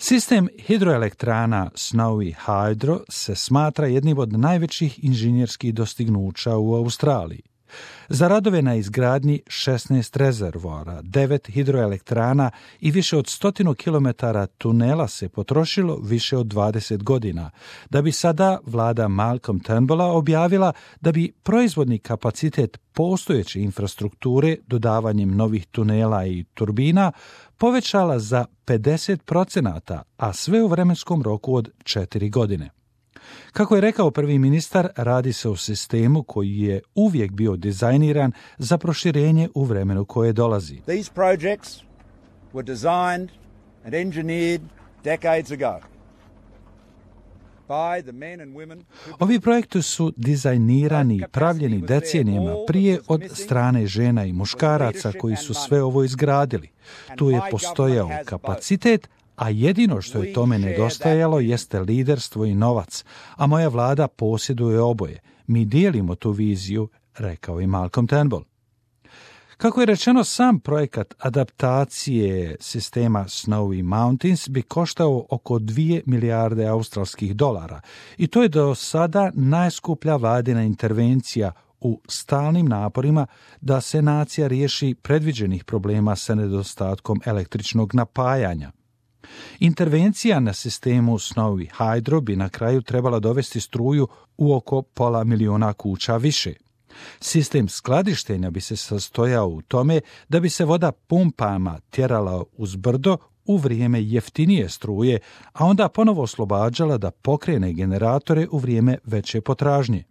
Sistem hidroelektrana Snowy Hydro se smatra jednim od najvećih inženjerskih dostignuća u Australiji. Za radove na izgradnji 16 rezervoara, 9 hidroelektrana i više od 100 km tunela se potrošilo više od 20 godina, da bi sada vlada Malcolm Turnbulla objavila da bi proizvodni kapacitet postojeće infrastrukture dodavanjem novih tunela i turbina povećala za 50%, a sve u vremenskom roku od 4 godine. Kako je rekao prvi ministar, radi se o sistemu koji je uvijek bio dizajniran za proširenje u vremenu koje dolazi. These projects were designed and engineered decades ago. Ovi projekti su dizajnirani i pravljeni decenijama prije od strane žena i muškaraca koji su sve ovo izgradili. Tu je postojao kapacitet, a jedino što je tome nedostajalo jeste liderstvo i novac, a moja vlada posjeduje oboje. Mi dijelimo tu viziju, rekao je Malcolm Turnbull. Kako je rečeno, sam projekat adaptacije sistema Snowy Mountains bi koštao oko 2 milijarde australskih dolara i to je do sada najskuplja vladina intervencija u stalnim naporima da se nacija riješi predviđenih problema sa nedostatkom električnog napajanja. Intervencija na sistemu Snowy Hydro bi na kraju trebala dovesti struju u oko 500.000 kuća više. Sistem skladištenja bi se sastojao u tome da bi se voda pumpama tjerala uz brdo u vrijeme jeftinije struje, a onda ponovo oslobađala da pokrene generatore u vrijeme veće potražnje.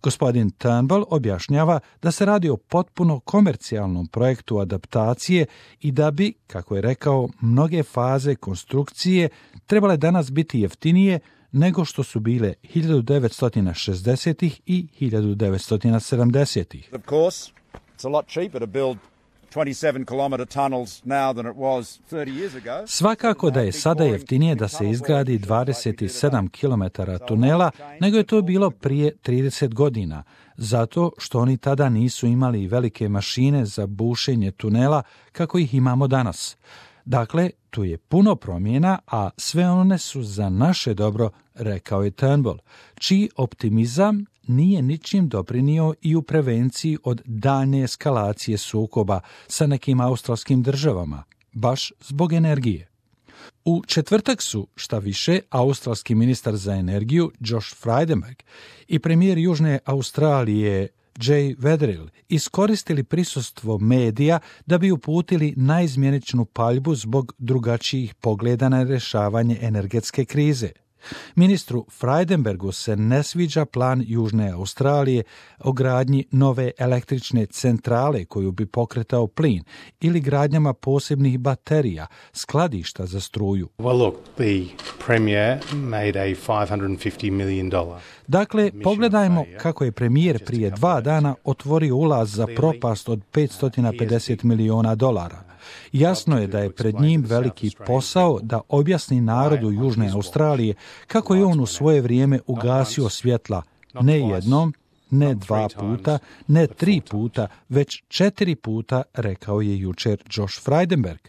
Gospodin Turnbull objašnjava da se radi o potpuno komercijalnom projektu adaptacije i da bi, kako je rekao, mnoge faze konstrukcije trebale danas biti jeftinije nego što su bile 1960-ih i 1970-ih. Of course, it's a lot cheaper to build 27 kilometer tunnels now than it was 30 years ago. Svakako da je sada jeftinije da se izgradi 27 km tunela nego je to bilo prije 30 godina, zato što oni tada nisu imali velike mašine za bušenje tunela kako ih imamo danas. Dakle, tu je puno promjena, a sve one su za naše dobro, rekao je Turnbull, čiji optimizam nije ničim doprinio i u prevenciji od daljnje eskalacije sukoba sa nekim australskim državama, baš zbog energije. U četvrtak su, šta više, australski ministar za energiju Josh Frydenberg i premijer Južne Australije Jay Weatherill iskoristili prisustvo medija da bi uputili naizmjeničnu paljbu zbog drugačijih pogleda na rješavanje energetske krize. Ministru Frydenbergu se ne sviđa plan Južne Australije o gradnji nove električne centrale koju bi pokretao plin ili gradnjama posebnih baterija, skladišta za struju. Well, look, the premier made a $550 million. Dakle, pogledajmo kako je premijer prije 2 dana otvorio ulaz za propast od $550 miliona. Jasno je da je pred njim veliki posao da objasni narodu Južne Australije kako je on u svoje vrijeme ugasio svjetla ne jednom, ne 2 puta, ne 3 puta, već 4 puta, rekao je jučer Josh Frydenberg.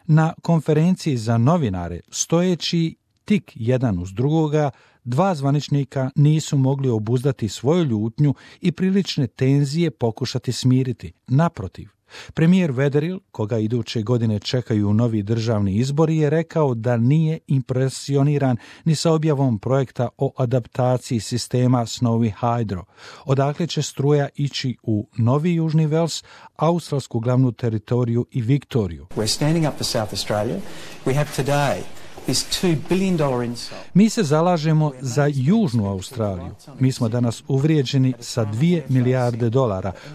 Na konferenciji za novinare, stojeći tik jedan uz drugoga, 2 zvaničnika nisu mogli obuzdati svoju ljutnju i prilične tenzije pokušati smiriti. Naprotiv, premijer Weatherill, koga iduće godine čekaju novi državni izbori, je rekao da nije impresioniran ni sa objavom projekta o adaptaciji sistema Snowy Hydro, odakle će struja ići u Novi Južni Vels, australsku glavnu teritoriju i Viktoriju. We're standing up for South Australia. We have today $2 billion insult. Mi se zalažemo za Južnu Australiju. Mi smo danas uvrijeđeni sa $2 milijarde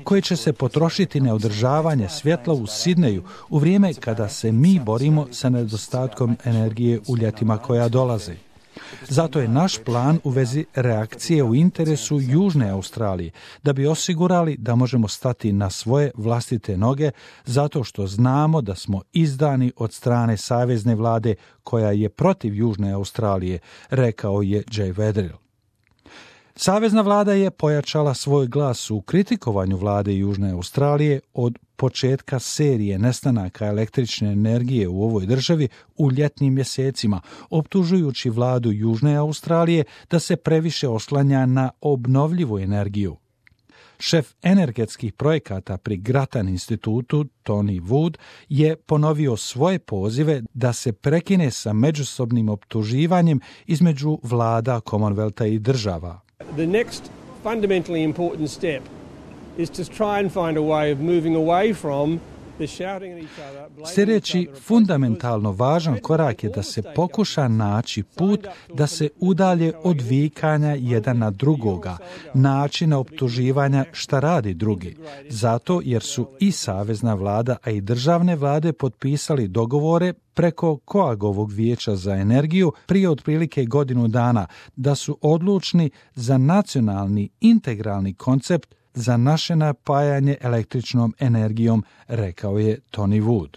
koje će se potrošiti na održavanje svjetla u Sidneju u vrijeme kada se mi borimo sa nedostatkom energije u ljetima koja dolaze. Zato je naš plan u vezi reakcije u interesu Južne Australije, da bi osigurali da možemo stati na svoje vlastite noge, zato što znamo da smo izdani od strane savezne vlade koja je protiv Južne Australije, rekao je Jay Weatherill. Savezna vlada je pojačala svoj glas u kritikovanju vlade Južne Australije od početka serije nestanaka električne energije u ovoj državi u ljetnim mjesecima, optužujući vladu Južne Australije da se previše oslanja na obnovljivu energiju. Šef energetskih projekata pri Grattan institutu, Tony Wood, je ponovio svoje pozive da se prekine sa međusobnim optuživanjem između vlada Commonwealtha i država. The next fundamentally important step is to try and find a way of moving away from the shouting at each other. Sljedeći fundamentalno važan korak je da se pokuša naći put da se udalje od vikanja jedan na drugoga, načina optuživanja šta radi drugi. Zato jer su i savezna vlada, a i državne vlade potpisali dogovore preko Coagovog vijeća za energiju prije otprilike godinu dana, da su odlučni za nacionalni integralni koncept za naše napajanje električnom energijom, rekao je Tony Wood.